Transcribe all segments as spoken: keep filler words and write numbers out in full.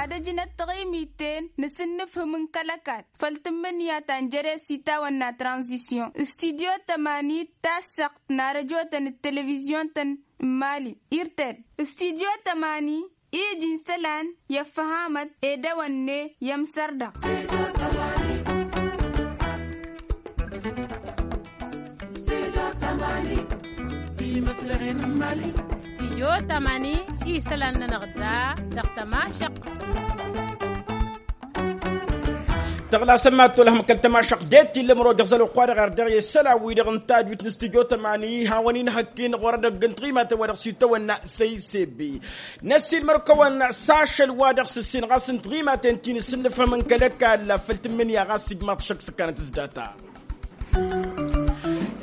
Ad-ăjnăt taɣimit-en n-asǝnnǝfhǝm n-kăl-ăkall făll-tǝmmǝnǝya ta n-jere s-itawănna tranzisyon. Studyo tămani d-tassăɣt n-arăjotăn d-televizyon-tăn n-mali irtel. Studyo tămani iji n-isălan i-ăffăhamăt ed ewănne i-ămsăr-dăɣ. Studyo tămani isălan-nănăɣ da dăɣ-tămašăq. Tăɣlasăn mad-tolăhăm kăl-tămašăq det-illa ǝmrojăẓ ălwăqq-wa-dăɣ erdăɣ i-isălan-wi-dăɣ n-tadwit n-studyo tămani hawăn-in hăkk-in ɣur-edăgg n-tiɣimaten wa dăɣ-s itawănna săysebbi. Năssiilmăr-kăwăn s-ašăl wa dăɣ-s ǝssin ɣas n-tiɣimaten ti n-asǝnnǝfhăm n-kăl-ăkall făll-tǝmmǝnǝya ɣas ijmaḍ šăkk s-ǝkkanăt s-data.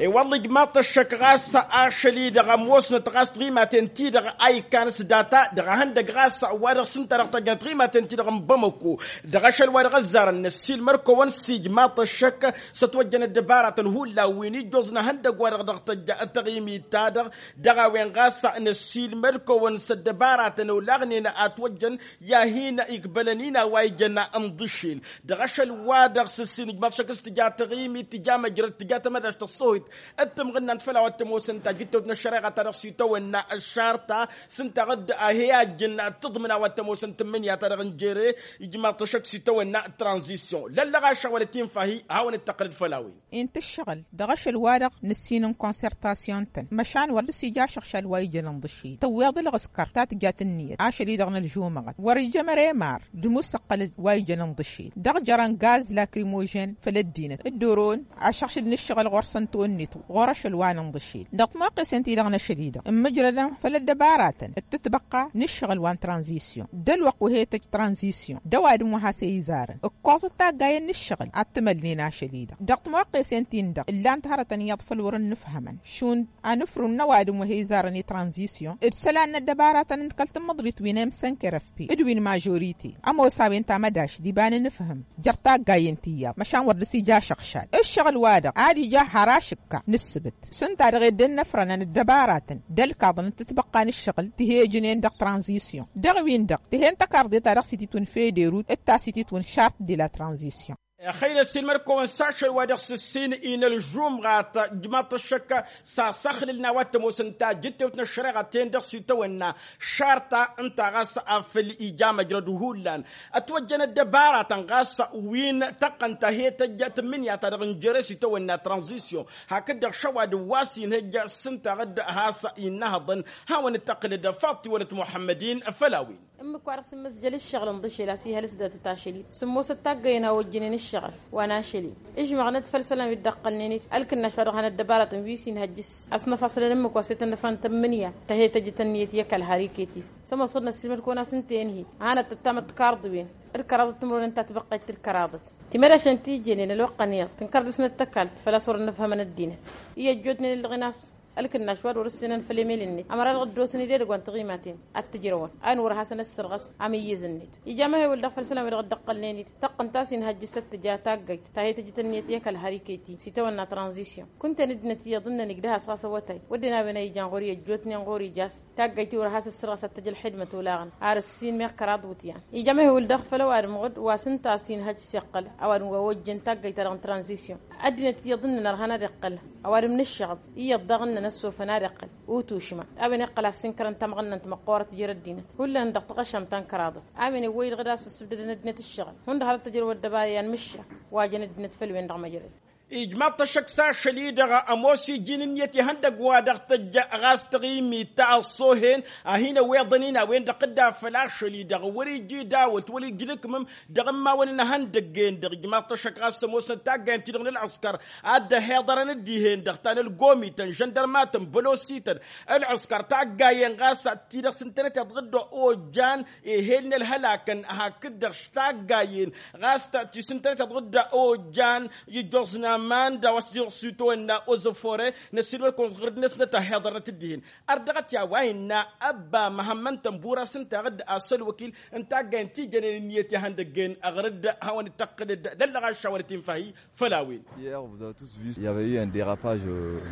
I-wălla ijmaḍ-t ăššăk ɣas ašăl-i-dăɣ ămoosnăt ɣas tiɣimaten-ti-dăɣ a ikkan s-data dăɣ-ehăndăgg ɣas wa dăɣ-s ǝnta-dăɣ tăjjăn tiɣimaten-ti-dăɣ n-bamăko. Dăɣ-ašăl wa dăɣ-ăzzarăn năssiilmăr-kăwăn s-ijmaḍ-t ăššăk s-ătwăjjăn ăddăbaratăn hullan wi n-ijjoẓ n-ehăndăgg wa dăɣ-dăɣ tăjja taɣimit-ta-dăɣ. Dăɣ-a-wen ɣas năssiilmăr-kăwăn s-ăddăbaratăn olaɣnen a ătwăjjăn i-ad-hin-ikbălăn-in a-wa ijăn n-ḍǝššel. Dăɣ-ašăl-wa-dăɣ s-ǝssin ǝjmaḍ šăkk s-tǝja taɣimit tǝja măjrăd tǝja tamădašt ăṣṣohit d-tǝmɣǝnnant făll-a-wa t-ămoosăn tajǝttewt n-ăššăreɣa-ta-dăɣ s-itawănna ăššarta s-ǝnta a dd-ahe ajǝn tǝḍmǝn a-wa t-ămoosăn tǝmmǝnǝya-ta-dăɣ n-jere. Ijmaḍ-t ăššăk s-itawănna tranzisyon lăllăɣaša wăla tinfahi hawăn-dd-tăqqǝlăd făll-a-wen. Intǝššăɣǝl dăɣ-ašăl-wa-dăɣ nǝssin n-konsertasyon-tăn măšan wăr dăr-s-ija ašăɣšal wa ijăn ǝnḍǝššel tăwweḍ ǝlɣǝskăr ta tǝjat ǝnniyăt ašăl-i-dăɣ n-ălžumăɣăt wăr-ija măre mar d-imusăqqăl wa ijăn ǝnḍǝšel dăɣ-jărăn gaz lakrimozhen făll-ăddinăt dd-oron ašăɣšǝl n-ǝššăɣǝl ɣur-săn tonnit ɣur-ašăl wa n-ǝnḍǝšel dăɣ-timoqqesen-ti-dăɣ n-ašăl-i-dăɣ ǝmmǝjrădăn făll-ăddăbaratăn d-tǝtbăqqa n-ǝššăɣǝl wa n-tranzisyon d-ălwăqq wi he-tăjj tranzisyon d-ăwadǝm wa has-e-izarăn ǝkkoẓăt taggayen n-ǝššăɣǝl ad-t-mălnen ašăl-i-dăɣ dăɣ-timoqqesen-tin-dăɣ ǝllan-t hărătăn iyyăḍ făll-wăr-ǝnnǝfhămăn šund anǝfrǝw n-ăwadǝm wa he-izarăn i-tranzisyon d-isălan n-ăddăbaratăn n-kăl-tǝmmǝḍrit wi n-emsănker ăfpi d-wi n-mažorite ămoos a-wen tamădašt d-iba n-anǝfhǝm jer-taggayen ti iyyăḍ măšan wăr dăr-s ija ašăɣšal ǝššăɣǝl-wa-dăɣ ad-ija har ašǝkka n-ǝssǝbǝt s-ǝnta-dăɣ edden n-ăfrănăn ăddăbaratăn d-ălkaḍăn d-tǝtbăqqa n-ǝššăɣǝl tǝhejǝnen dăɣ-tranzisyon dăɣ-win-dăɣ tǝhen tăkarḍe-ta-dăɣ s-ititwǝn federut d-ta s-ititwǝn šart de la tranzisyon. Ăxăynăs ilmăr-kăwăn s-ašăl wa dăɣ-s ǝssin-i n-ălžumɣat ǝjmaḍ-t ăššăk s-asăxlǝl n-a-wa t-ămoosăn tajǝttewt n-ăššăreɣa ten dăɣ-s itawănna šarta ǝnta ɣas afăl ija măjrăd hullan ătwăjjăn ăddăbaratăn ɣas wi n-tăqqăn ta he-tăjja tǝmmǝnǝya-ta-dăɣ n-jere s-itawănna tranzisyon hakd-dăɣ šăwadǝm wa s-inhǝjja s-ǝnta ɣǝd has-innăhăḍăn. Hawăn-dd-tăqqǝlăd faḍt iwălăt muḥămmăd-in făll-a-wen. Ǝmmǝk-wa-dăɣ s-ǝmmǝzjăl ǝššăɣǝl ǝnḍǝšel a-s ihăl s-datăt ašăl-i s-ǝmmosăt taggayen a ojjǝnen ǝššăɣǝl wa n-ašăl-i. Ǝžmăɣnăt făll-isălan wi dd-ăqqălnen-dd ălkǝnnaš wa dăɣ-han ăddăbaratăn wi s-inhăjj s-asnăfasălăn ǝmmǝk wa s-e-tăn ăfrăn tămmǝnǝya ta he-tăjjăt ǝnniyăt i-ăkall har iket-i. S-ămoos ɣǝd n-ăssiilmăd-kăwăn a-s ǝnta i-ǝnhǝy a hanăt-tăttamăt tikarḍǝwen d-kăraḍăt timǝrwen ǝnta a tibăqqet d-kăraḍăt. Timădašăn ti ǝjjănen ălwăqq-ăniḍ tǝnkăr dăr-snăt tăkalt făl-a-s wăr-ănnăfhămăn ăddinăt iyyă ăjjootnen ǝllăɣen a-s ălkǝnnaš wa d-wăr-ǝssinăn făll-emel-net ămăra dăɣ-dd-osăn idedăgg wa n-tiɣimaten ad-t-ǝjrăwăn a ǝnwăr hasăn-ăssărɣăs amǝyyǝz-net. Ija măhewǝl-dăɣ făll-isălan-wi-dăɣ dd-ăqqălnen-dd tăqqǝnt a-s inhăjj s-tăt-tǝja taggayt ta he-tăjjǝt ǝnniyăt i-ăkall har iket-i s-itawănna tranzisyon. Kunta n-ăddinăt iyyăḍ ǝnnăn igdăh-as ɣas awătay wădden a-wen a ijan ɣur-i ăjjootnen ɣur-i jas taggayt-i wăr has-ăssărɣăs ad-t-ăj ălxidmăt olaɣăn ar ǝssin meɣ kăraḍ iwǝtyan. Ija măhewǝl-dăɣ făll-ăwadǝm ɣǝd wa s-ǝnta a-s inhăjj s-iqqăl ăwadǝm wa ojjăn taggayt-ta-dăɣ n-tranzisyon. Ăddinăt iyyăḍ ǝnnăn ărhan ad-iqqăl ăwadǝm n-ǝššăɣăb iyyăḍ daɣ ǝnnăn ăssofăn ad-iqqăl utušma. A-wen iqqăl a-s ǝnkărăn tamɣănnant măqqoorăt jer-ăddinăt hullan dăɣ-taɣăšamt ta n-kăraḍăt. A-wen iwwăy-dd ɣǝd a-s ǝssǝbdădăn ăddinăt ǝššăɣǝl hundăɣ har dd-tăjrăw ăddăbara i-anmǝššak wa jăn ăddinăt făll-wen-dăɣ măjrăd. Ijmaḍ-t ăššăk s-ašăl-i-dăɣ ămoos iji n-ǝnniyăt ihăndăgg wa dăɣ-tăjj ɣas taɣimit ta ăṣṣoohen a hin-ăweḍăn-in a-wen-dăɣ tǝdda făll-ašăl-i-dăɣ wăr-ija idawălt wăr-ija idǝkmǝm. Dăɣ-immawăn n-ihăndăgg-en-dăɣ ijmaḍ-t ăššăk ɣas ămoosnăt taggayen-ti-dăɣ n-ălɣǝskăr ad-dd-ăhiḍărăn dd-ihen-dăɣ ta n-ălgomităn žăndărmatăn bălosităn ălɣǝskăr taggayen ɣas ti-dăɣ s-ǝntănăteḍ dd-ojjan ehel n-ălhălakăn hakd-dăɣ taggayen ɣas ti s-ǝntănăteḍ dd-ojjan. Ijjoẓna Manda wa s-iɣsităwăn n-ozofore n-ăssiilmăr-kăwăn ɣur-dăɣ-năsnăt ăhiḍărnăt d-dihen. Ărdăɣăt i-a-wa innă ăbba măhămmăn tănbura s-ǝnta ăɣ-dd-asăl wăkil n-taggayăn ti jănen ǝnniyăt ihăndăggen ăɣrǝd hawăn-dd-tăqqǝlăd d-ăllăɣ aššawălăt infa-hi. Făll-a-wen.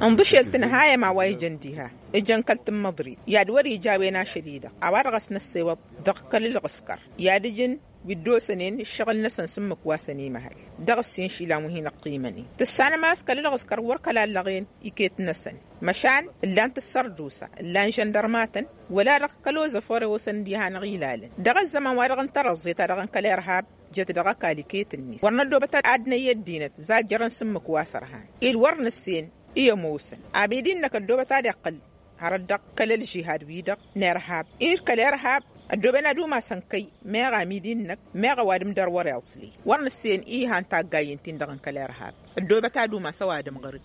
Inḍǝšel tǝnhayăm a-wa ijăn diha ǝjăn kăl-tǝmmăḍrit i-ad-wăr-ija a-wen ašăl-i-dăɣ a-wa-dăɣ a-s năssewăḍ dăɣ-kăl-ǝlɣǝskăr i-ad-ǝjǝn wi dd-osănen ǝššăɣǝl-năsăn s-ǝmmǝk wa săn-imăhăl dăɣ-ǝssin šila n-wi hin-ăqqimănen tǝssanăm a-s kăl-ǝlɣǝskăr wăr kăla ǝllăɣen iket-năsăn măšan ǝllan-t ǝssărdusa ǝllan žăndărmatăn wăla-dăɣ kăl-ozăfore osăn-dd iha n-aɣilalăn dăɣ-ăzzăman wa dăɣ-n tărăẓẓe ta dăɣ-n kăl-irhab. Jăt dăɣ-ăkall iket-net wăr năddobăt ad-năyy ăddinăt zajjărăn s-ǝmmǝk wa s-ărhan ed wăr nǝssen i-ămoosăn. Abidi-năk ăddobăt ad-iqqǝl hărăt dăɣ-kăl-ălžihad-wi-dăɣ n-irhab ed kăl-irhab ăddooben ad-umasăn kăy meɣ amidi-năk meɣ ăwadǝm dăr-wăr-iḍsli wăr nǝssen i-ihan taggayen-tin-dăɣ n-kăl-irhab. Ăddoobăt ad-umas ăwadǝm ɣăr-dd.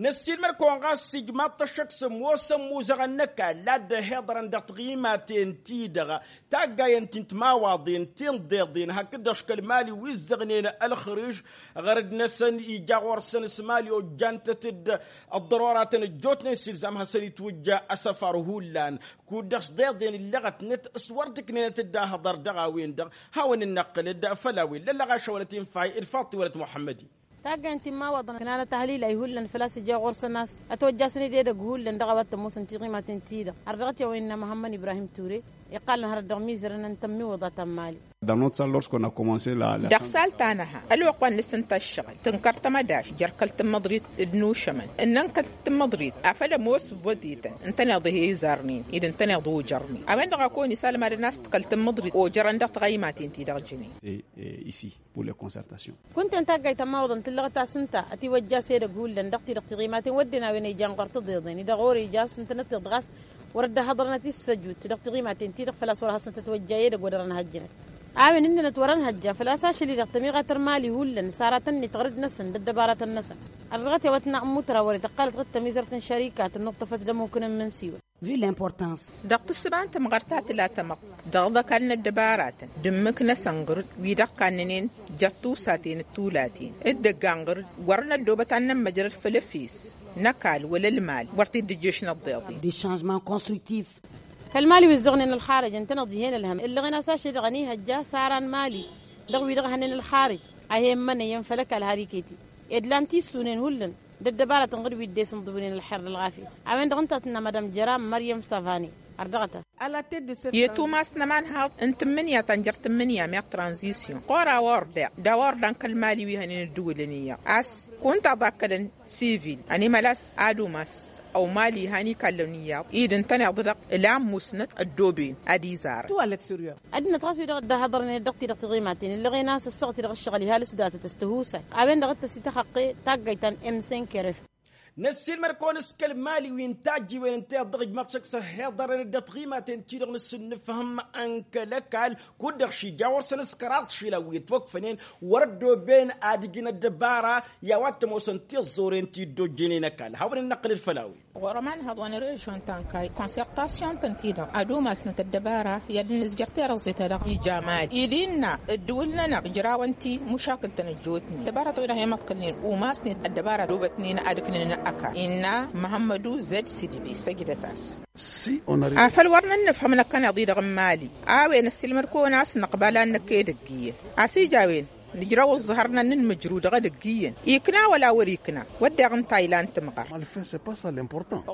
Năssiilmăd-kăwăn ɣas ijmaḍ-t ăššăk s-ămoosăn imuzăɣăn n-ăkall a dd-ăhiḍărăn dăɣ-tiɣimaten-ti-dăɣ taggayăn ti n-timawaḍen ti n-deḍen hakd-dăɣ škăl mali wi ǝzzăɣnen ălxǝriž ɣărăd-năsăn ija ɣur-săn s-mali ojjantăt-dd ăḍḍăroratăn ăjjootnen s-ilzam hasăn-itwǝjja asăfar hullan. Kud-dăɣ s-deḍen illăɣătnăt s-wăr dd-ǝknenăt dd-ahăḍăr dăɣ-a-wen-dăɣ hawăn-dd-năqqǝlăd făll-a-wen lăllăɣ ašăwălăt infa-hi d-faḍt iwălăt muḥămmăd-i. Taggayăn timmawaḍăn ǝknanăt ahălilay hullan făl-a-s ija ɣur-săn a-s ătwăjjasăn-dd edăgg hullan dăɣ-a-wa t-ămoosăn tiɣimaten-ti-dăɣ. Ărdăɣăt i-a-wa innă măhămmăn ibrahim ture iqqalăn hărăt dăɣ-imizărăn n-tămmiwǝḍa ta n-mali. Dăɣ-salt ta nǝha ălwăqq wa n-nǝsǝnta ǝššăɣǝl tǝnkăr tămădaš jer-kăl-tǝmmăḍrit d-nušămăn ǝnnăn kăl-tǝmmăḍrit afăl ămoos votităn ǝntăneḍ ih'-e izarnen ed ǝntăneḍ ojărnen a-wen-dăɣ a kăwăn-isălmadăn a-s kăl-tǝmmăḍrit ojărăn dăɣ-tiɣăymaten-ti-dăɣ jănen. Kunta-en taggayt ămmawăḍăn tǝllăɣăt a-s ǝnta ătiwăjja s-edăgg hullan dăɣ-ti-dăɣ tiɣimaten wădden a-wen a ijan ɣur-tiḍeḍen-i-dăɣ ore ija a-s ǝntănăt-tiḍ ɣas wăr dd-ăhhăḍrănăt i-ǝssăjut dăɣ-tiɣimaten-ti-dăɣ făl-a-s wăr hasnăt ătwăjja i-edăgg wăr dăr-ănhăjjănăt. A-wen ǝnnănăt wăr-ănhăjja făl-a-s ašăl-i-dăɣ tămiɣat n-imali hullan s-aratăn-net ɣărăd-năsăn d-ăddăbarătăn-năsăn. Ărdăɣăt i-a-wa tǝnna ǝmmutăra wăr-ităqqalăt ɣǝd tămizărt n-šărika tǝnnuṭṭăfăt d-ămmuk n-ǝmmǝnsiwăn. Dăɣ-tǝssǝba n-tămɣărt ta tǝla tămăḍt dăɣ-iḍăkal n-ăddăbaratăn d-ǝmmǝk-năsăn ɣǝr-dd wi-dăɣ kannănen jer-tusaten d-tulaten d-ăggan ɣǝr-dd wăr năddobăt ad-nămmăjrăd făll-efes n-ăkall wăla ălmal wăr t-dd-ǝjješ n-ăḍḍeḍen. Kăl-mali wi ǝzzăɣnen ălxarăj ǝntăneḍ dihen ălhăm ellăɣen a-s ašăl-i-dăɣ ănihăjja s-ara n-mali dăɣ-wi-dăɣ hănen ălxarăj a hi-ămmănăyăn făll-ăkall har iket-i ed lan tisunen hullan d-ăddăbarătăn ɣǝr-dd wi dd-esǝnḍǝwǝlnen ălxer d-ălɣafyăt. A-wen-dăɣ ǝnta a tǝnna madam jăra măryăm savane. Ărdăɣăt-as. I-tumas n-ămanhaḍ n-tǝmmǝnǝya ta n-jer-tǝmmǝnǝya meɣ tranzisyon ɣur-a-wa ordeɣ d-a-wa ordan kăl-mali wi hănen ǝddǝwǝlăn iyyăḍ a-s kunta ăḍakkălăn sivil ănimăl a-s ad-umas ăwmal ihan ikallăn iyyăḍ-i d-ǝntăneḍ-dăɣ ǝla ămmusnăt ăddooben ad-izarăn. Ăddinăt ɣas wi-dăɣ dd-ăhhăḍărnen dăɣ-ti-dăɣ tiɣimaten ǝllăɣen a-s ăssaɣăt-i-dăɣ ǝššăɣǝl iha lǝsdatăt s-tihusay. A-wen-dăɣ d-tăsităxăqqe taggayt ta n-emsenkeref. Năssiilmăd-kăwăn s-kăl-mali wi n-tajjiwen ǝnta i-dăɣ ijmaḍ šăkk s-ăhhiḍărăn-dd ăṭṭimaten-ti-dăɣ n-asǝnnǝfhǝm n-kăl-ăkall kud-dăɣ šija ɣur-săn s-kăraḍ šila wi ătwăkfănen wăr-ăddooben ad-ǝjǝn ăddăbara i-a-wa t-ămoosăn tiẓẓoren ti dd-ojjănen ăkall hawăn-dd-năqqǝlăd făll-a-wen. Ɣur-ămanhăḍ wa n-režion ta n-kayy konsertasyon-tăn-ti-dăɣ ad-umasnăt ăddăbara i-ad-dd-nǝzjăr terăẓẓe-ta-dăɣ ija mali-i d-innă ǝddǝwǝl-nănăɣ ǝjrawăn-t-i mušakǝl-tăn ăjjootnen ăddăbaratăn-wi-dăɣ i-măḍkălnen umasnen ăddăbara ădobătnen ad-ǝknen ăkall innă măhămmădu zed sidbi săjdăt-as. Afăl wăr nǝnnǝfhǝm năkkăneḍ-i-dăɣ n-mali a-wen ăssiilmăd-kăwăn a-s năqbal ad-năkk edăgg iyyăn a-s ija a-wen nǝjrăw ǝẓẓăhărnăn n-inmǝjru dăɣ-edăgg iyyăn ikna wăla wăr-ikna. Wădden ǝnta a ilan tǝmɣăr.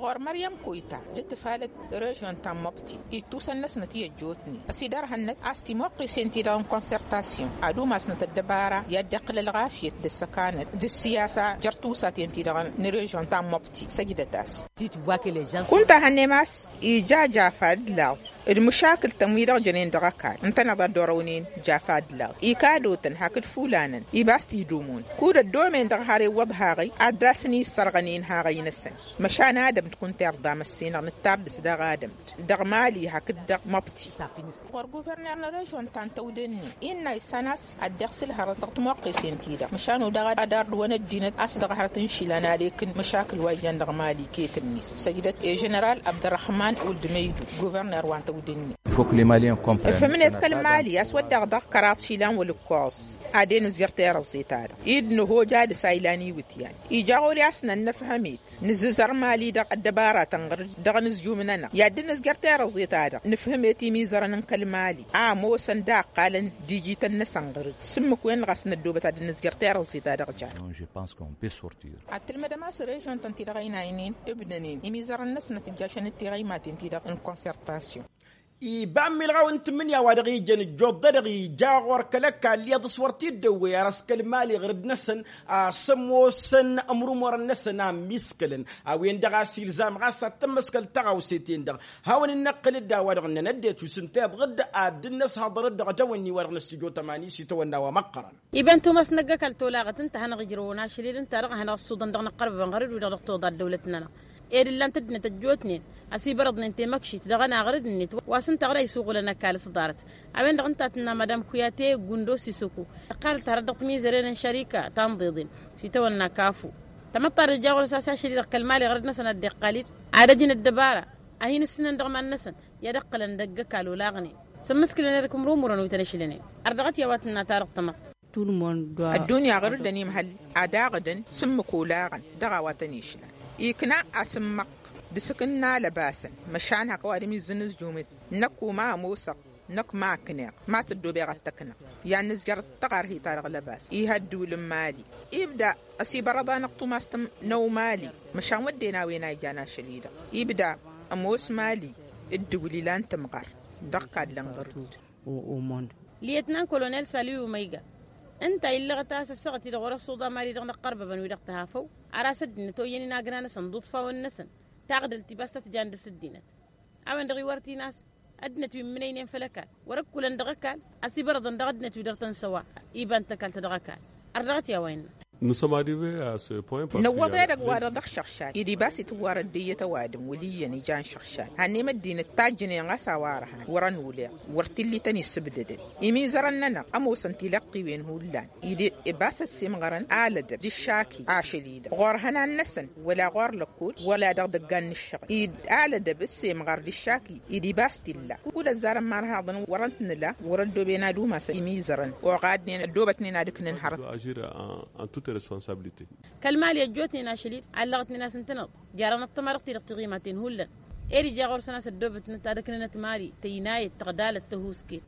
Ɣur-măryăm koyta d-tǝfalăt režion ta n-măbti ittusăn-năsnăt i-ăjjootnen ăsidărhănnăt a-s timuqqisen-ti-dăɣ n-konsertasyon ad-umasnăt ăddăbara i-ad-dd-iqqǝl ălɣafyăt d-ăssăkanăt d-ăssiyasa jer-tusaten-ti-dăɣ n-režion ta n-măbti săjdăt-as. Kunta hănnem a-s ija jafa d-laẓ d-măšakǝl-tăn wi-dăɣ jănen dăɣ-ăkall ǝntăneḍ ad-dd-orăwnen jafa d-laẓ ikadotăn hakd fulanăn iba a-s t-idumon kud ăddomen dăɣ-har iwwăḍ haɣăy ad-dd-asăn-issărɣăn inhaɣăy-năsăn. Măšan adămt kunta irḍa măssinăɣ nǝttar dăɣ-s dăɣ-adămt dăɣ-mali hakd dăɣ-măbti. Ɣur-guverner n-režion ta n-tăwdǝnni innă issan a-s ad-dd-iɣsǝl hărăt dăɣ-timoqqesen-ti-dăɣ măšan udaɣ ad-ardǝwăn ăddinăt a-s dăɣ-hărăt n-išilan ad-ekǝn măšakǝl wa ijan dăɣ-mali iket-net săjdăt i-ženeral abdărrăhman wǝldmăydu guverner wa n-tăwdǝnni. Ǝfhǝmnet kăl-mali a-s wădden dăɣ-kăraḍ išilan wăla ǝkkoẓ. ad-en-ǝzjăr tirǝẓẓe-ta-dăɣ i-dd-nǝhoj ad-ăsaylan iwǝtyan. Ija ɣur-i a-s nănnăfhăm-it nǝzzǝzăr mali-dăɣ ăddăbaratăn ɣǝr-dd dăɣ-inǝzjum-nănăɣ i-ad-dd-nǝzjăr tirǝẓẓe-ta-dăɣ nǝfhǝm-et imizărăn n-kăl-mali a ămoosăn d-a ǝqqalăn d-ijităn-năsăn ɣǝr-dd s-ǝmmǝk-wen-dăɣ a-s năddoobăt ad-dd-nǝzjăr tirǝẓẓe-ta-dăɣ. Jar. Ad-tǝlmădăm a-s režion-tăn-ti-dăɣ ăynaynen ǝbdănen imizărăn-năsnăt ǝjjašăn d-tiɣăymaten-ti-dăɣ n-consertasyon. Iba n-milɣaw n-tǝmmǝnǝya wa dăɣ-ijăn ǝjjuḍ-dăɣ ija ɣur-kăl-ăkall iyyăḍ s-wăr t-dd-ăwwăy ar ăskăl mali ɣǝr-dd-năsăn a-s ămoosăn ămrumurăn-năsăn a ămmiskălăn. A-wen-dăɣ a-s ilzam ɣas ad-tămmăskăl tăɣawset-en-dăɣ hawăn-in-năqqǝl-dd a-wa-dăɣ ǝnnăn ăddinăt wi s-ǝnta iḍɣǝd ad-dd-năshăḍăr-dd dăɣ-tawănni-wa-dăɣ năssijo tămani s-itawănna wa măqqărăn. Iba n-tumas năgg-ăkall tolaɣăt ǝnta a hanăɣ-ǝjrăwăn ašăl-i-dăɣ ǝnta-dăɣ a hanăɣ-ăṣṣuḍăn dăɣ-inăqqărbăbăn ɣărăd-wi-dăɣ dăɣ-toḍa ăddăwlăt-nănăɣ. Ed ǝllan-t ăddinăt ăjjootnen ăsibărăḍnen temăkšit dăɣ-ănaɣrǝd-net wa s-ǝnta ɣur-a isuɣǝlăn ăkall s-ḍarăt. A-wen-dăɣ ǝnta a tǝnna madam kuyate gundo sisoko ǝqqalăt hărăt dăɣ-timizăren n-šărika ta n-iḍeḍen s-itawănna kafu. Tamăḍt ta d-ija ɣur-s a-s ašăl-i-dăɣ kăl-mali ɣărăd-năsăn ad-dd-iqqal-dd ad-ăjǝn ăddăbara a hin-ǝssǝnăn dăɣ-iman-năsăn i-ad-ǝqqǝlăn dăgg-ăkall olaɣnen s-ǝmmǝskǝlăn erk ǝmrumurăn wi tăn-ešlănen. Ărdăɣăt i-a-wa tǝnna ta dăɣ-tamăḍt. Tulmon d-wa ăddunya ɣur-dd ănimhăl ad-aɣǝdăn s-ǝmmǝk olaɣăn dăɣ-a-wa tăn-išlan. Ikna asǝmmăɣ d-asǝkǝnna lăbasăn măšan hak ăwadǝm izzǝn ǝzjumǝt. Năkk u-ma ămoosăɣ năkk ma ăkneɣ ma s-ăddoobeɣ ad-t-ăknăɣ. I-ad-nǝzjăr tăɣarhit-ta-dăɣ lăbas. Ih' ăddiwǝl n-mali ibda ăsibărăḍ-anăɣ tumast n-ăwmali. Măšan wădden a-wen a ijan ašăl-i-dăɣ ibda ămoos mali. Ǝddǝwǝl ilan tǝmɣar dăɣ-kallăn ɣur-dd. Liyătnan kolonel saliw umăyga ǝnta illăɣăt a-s ăssaɣăt-i-dăɣ wăr-ăṣṣuḍa mali dăɣ-inăqqărbăbăn wi dăɣ-tăhafăw. Ar a-s ăddinăt oyyăn inagra-năsăn d-iḍfawăn-năsăn taɣdălt ibas tăt-jan dăr-s ăddinăt. A-wen-dăɣ iwărtin a-s ăddinăt wi ǝmmǝnăynen făll-ăkall wăr-ǝkkulăn dăɣ-ăkall. Ăsibărăḍăn dăɣ-ăddinăt wi dăr-tăn-săwa iba n-tăkalt dăɣ-ăkall. Ărdăɣăt i-a-wa innă. Nǝwwăḍ edăgg-wa-dăɣ dăɣ-šăɣšal-i d-ibas itǝwwarăt d-iyyăt ăwadǝm wăl' iyyăn ijan šăɣšal. Hannăyăm ăddinăt tajjǝnen ɣas a-wa ărhan wăr-ănuleɣ wăr t-illa ităn-isǝbdădăn. Imizărăn-nănăɣ ămoosăn tilăqqiwen hullan-i d-ibas ăssiimɣărăn alădăb d-iššaki ašăl-i-dăɣ ɣur-ihănan-năsăn wăla ɣur-lăkkol wăla dăɣ-idăggan n-ǝššăɣǝl-i d-alădăb ăssiimɣăr d-iššaki-i d-ibas t-illa. Kul ăzzarăn ma ărhaḍăn wăr-ăntnǝla wăr-ăddooben ad-umasăn imizărăn oɣadnen ăddoobătnen ad-ǝknǝn hărăt. Kăl-mali ăjjootnen ašăl-i-dăɣ allăɣătnen a-s ǝntăneḍ jarăn ăṭṭăma dăɣ-ti-dăɣ tiɣimaten hullan. Ed ija ɣur-săn a-s ăddoobătnăt ad-ǝknǝnăt mali tăynayăt tăɣdalăt tăhusket.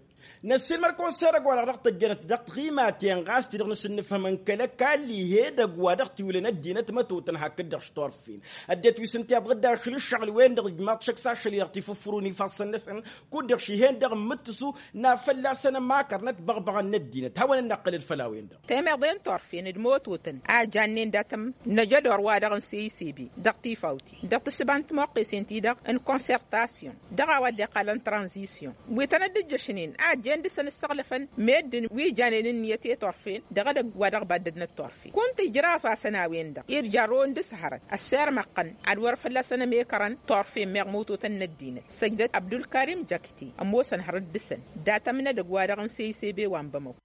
Năssiilmăr-kăwăn s-edăgg-wa-dăɣ dăɣ-tăjjănăt dăɣ-tiɣimaten ɣas ti-dăɣ nǝsǝnnǝfhăm n-kăl-ăkall ih'-edăgg wa dăɣ-tiwǝlăn ăddinăt mătotăn hakd-dăɣ s-turfen. Ăddinăt wi s-ǝnta iḍɣǝd ašăl ǝššăɣǝl-wen-dăɣ ǝjmaḍ šăkk s-ašăl-i-dăɣ tifǝffǝrun ifassăn-năsăn kud-dăɣ šihhen dăɣ-imǝttǝsu n-ad-fălla-săn ămakărnăt băɣbăɣăn n-ăddinăt hawăn-dd năqqǝlăd făll-a-wen-dăɣ. Temeḍe n-turfen d-mototăn a jannen datăm n-ajădor wa dăɣ-n seyisebe dăɣ-tifawt dăɣ-tǝssǝba n-timoqqesen-ti-dăɣ n-konsertasyon dăɣ-a-wa dd-iqqalăn tranzisyon wi tăn-dd-ǝjjăšnen a jen dăr-săn ǝssăɣlăfăn meddǝn wi janen ǝnniyăt i-turfen dăɣ-edăgg wa dăɣ-baddădnăt turfen kunta ijraẓ-asăn a-wen-dăɣ irjarrăwăn dăr-s hărăt ăssirmăɣ-tăn ad-wăr-fălla-săn ămekărăn turfen meɣ mototăn n-ăddinăt săjdăt abdulkarim jakti ămoosăn hărăt dăr-săn datăm n-edăgg wa dăɣ-n seyisebe wa n-bamăko.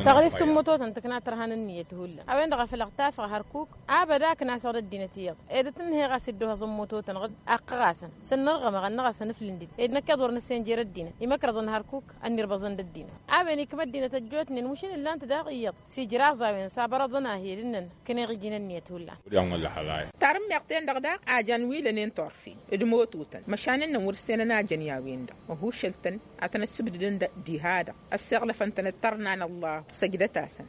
Taɣrift n-mototăn tǝkna tărha n-ǝnniyăt hullan a-wen-dăɣ a făl ăɣtafăɣ hărkuk. Abăd a ǝknasăɣ d-ăddinăt iyyăḍ ed ătnǝnhăyăɣ a-s dd-ohăẓăn mototăn ɣǝd akkăɣ-asăn s-ănnărɣămăɣ ănnăɣ-asăn ǝflǝndid ed năkk iḍ wăr nǝssen jer-ăddinăt imăkrăḍăn hărkuk. Ănnirbăẓăn d-ăddinăt a-wen ikm' ăddinăt ăjjootnen măšin ǝllan-t daɣ iyyăḍ s-ijraẓ a-wen s-abărăḍăn a hi-dd-ǝnnăn kăneɣ iji n-ǝnniyăt hullan. Tarǝmmeɣ-ten-dăɣ daɣ a jan wi lănen turfen d-mototăn măšan ǝnnăn wăr-ǝssenăn a jăn i-a-wen-dăɣ ăhušăl-tăn ad-tăn-ăssǝbdǝdăn diha-dăɣ ăssiɣlăfăn-tăn d-tărna n-ăllah. Săjdăt-asăn.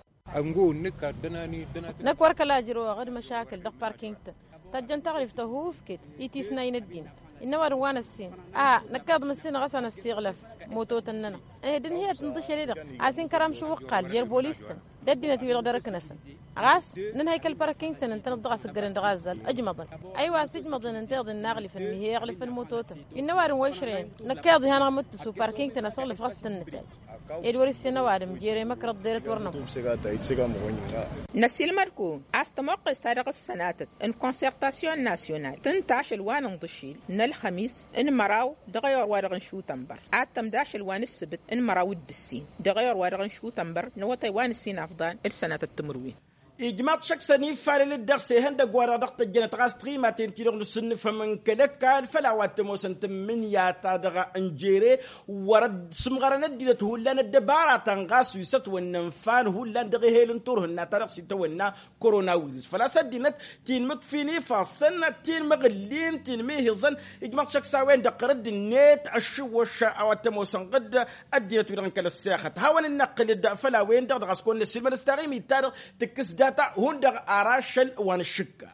Năkk wăr kăla ǝjrăwăɣ d-măšakǝl dăɣ-parking-tăn tăjjăn taɣrift tăhuusket i-tisnay n-ăddinăt. Innă ăwadǝm wa n-ăssin a năkk iḍ mǝssin ɣas a năssiɣlăf mototăn-nănăɣ ăhed ǝnhǝyăt n-iḍǝšel-i-dăɣ a-s inkăram šǝwwăqqal jer-bolis-tăn d-ăddinăt-wi-dăɣ dăr-ǝknăsăn. Ɣas nǝnhăy kăl-parking-tăn ǝntăneḍ-dăɣ a-s ǝggălăn dăɣ-azzal ǝjmăḍăn. Ăywa a-s ǝjmăḍăn ǝnta iḍǝn n-aɣlǝfăn mihe iɣlǝfăn mototăn. Innă ăwadǝm wa išrăyăn năkk iḍǝn i-hanăɣ-mǝttǝsu parking-tăn asăɣlǝf ɣas tăn-nǝtajj ed wăr-issen ăwadǝm jer-emăkrăḍ deret wăr nămut. Năsilmăd-kăwăn a-s tămoqqes-ta-dăɣ s-sănatăt n-konsertasyon nasyonal tǝnta ašăl wa n-inḍǝšil n-ălxămis n-măraw dăɣ-eyor wa dăɣ-n šutănbăr ad-tămd ašăl wa n-ǝssǝbǝt n-măraw d-ǝssin dăɣ-eyor wa dăɣ-n šutănbăr n-awătay wa n-ǝssin afḍan d-sănatăt timǝrwen. Ijmaḍ šăkk s-ănifalăl-dd dăɣ-s ihăndăgg-wa-dăɣ dăɣ-tăjjănăt ɣas tiɣimaten-ti-dăɣ n-asǝnnǝfăm n-kăl-ăkall făll-a-wa t-ămoosăn tǝmmǝnǝya-ta-dăɣ n-jere. Wăr-ădd sǝmɣărăn ăddinăt hullan ăddăbaratăn ɣas wi s-ătwănna ǝnfan hullan dăɣ-ehel n-turhǝnna-ta-dăɣ s-itawănna koronawiris făl-a-s ăddinăt ti n-imǝkfin ifassăn ti n-imăɣǝllin ti n-imihiẓăn. Ijmaḍ šăkk s-a-wen-dăɣ ɣărădd-net ăššǝwwăš a-wa t-ămoosăn ɣǝdd ăddinăt-wi-dăɣ n-kăl-ăssexăt hawăn-in-năqqǝl-dd făll-a-wen-dăɣ dăɣ-a-s kăwăn-năssilmăd s-taɣimit-ta-dăɣ tǝkkǝs data hundăɣ ar ašăl wa n-ašǝkka.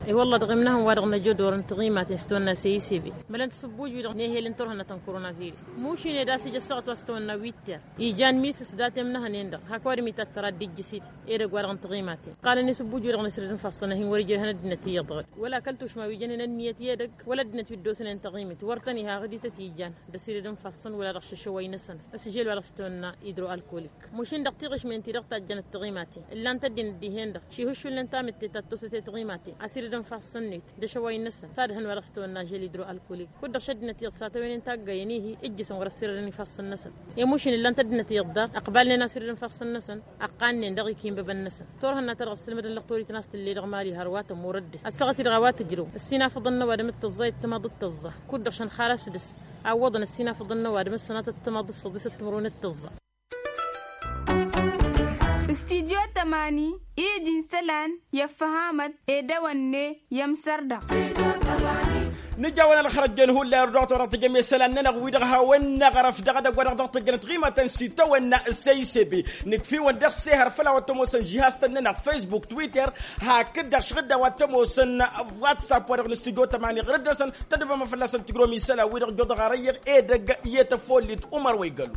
I-wălla dăɣ-imnăhăn wa dăɣ-năjădor n-taɣimaten s-tawănna seyisebe mălăn tasǝbbuj-wi-dăɣ n-ehel n-turhǝnna ta n-koronaviris mušin ed a-s ija ăssaɣăt wa s-tawănna witter ijan misǝs dat-imnăhăn-en-dăɣ hak ăwadǝm itat tăra dd-ijjǝs-dd. Edăgg-wa-dăɣ n-taɣimaten ɣalăn isǝbbuj-wi-dăɣ n-asǝrǝd n-ifassăn ad-hin-wăr-ijrăhăn ăddinăt iyyăḍ dăɣ-dd wăla kăl-tušma wi jănen ănniyăt i-edăgg wăla ăddinăt wi dd-osănen taɣimit wăr tăn-iha ɣǝdităt ijan d-asǝrǝd n-ifassăn wăla dăɣ-šăšăwăy-năsăn. Ăsžel wa dăɣ-s tawănna idro-alkolik mušin dăɣ-tiɣǝšmen-ti-dăɣ tajjănăt taɣimaten ǝllan-t ăddinăt dihen-dăɣ šihǝššulnen tamǝtte ta t-osăte taɣimaten asǝrǝd n-ifassăn-net d-ašăwăy-năsăn s-ad-hăn wa dăɣ-s tawănna žel idro-alkolik kud-dăɣ šăddinăt iyyăḍ s-ad-tawăynen taggayen-ihi ǝjjǝsăn wăr-ăssirădăn ifassăn-năsăn. I-mušin ǝllan-t ăddinăt iyyăḍ daɣ ăqbalnen asǝrǝd n-ifassăn-năsăn ăqqannen dăɣ-ikinbăbăn-năsăn turhǝnna-ta-dăɣ ăssǝlmădăn lăxtorit n-a-s tǝlle dăɣ-mali hărwa tămur ăddis ăssaɣăt-dd ɣawat ǝjrǝw ǝssinafăḍăn n-ăwadǝm d-tăẓẓa i-ăttămaḍ d-tăẓẓa kud-dăɣ šăn xalas dăɣ-s awwăḍăn ăssinafăḍăn n-ăwadǝm d-sănatăt ăttămaḍ d-săḍisăt timǝrwen d-tăẓẓa. Studyo tămani iji n-isălan i-ăffăhamăt ed ewănne i-ămsărdăɣ. Nǝjawăn ălxărăjjen hullan irduɣăt wa dăɣ-tǝjjăm i-isălan-nănăɣ wi-dăɣ hawăn-năɣrăf dăɣ-edăgg wa dăɣ-tǝjjănăt ɣimatăn s-itawănna s-a-isebe. Nǝkf'-iwăn dăɣ-sehăr făll-a-wa t-ămoosăn žihaz-tăn-nănăɣ facebook twitter hakd-dăɣ šɣǝd a-wa t-ămoosăn whatsapp wa dăɣ-nǝstudyo tămani ɣǝrǝd-năsăn. Tădbăm fălla-săn tǝjrom isălan wi-dăɣ joḍăɣ arăyyăɣ edăgg i-tăfollit umăr wa igălu.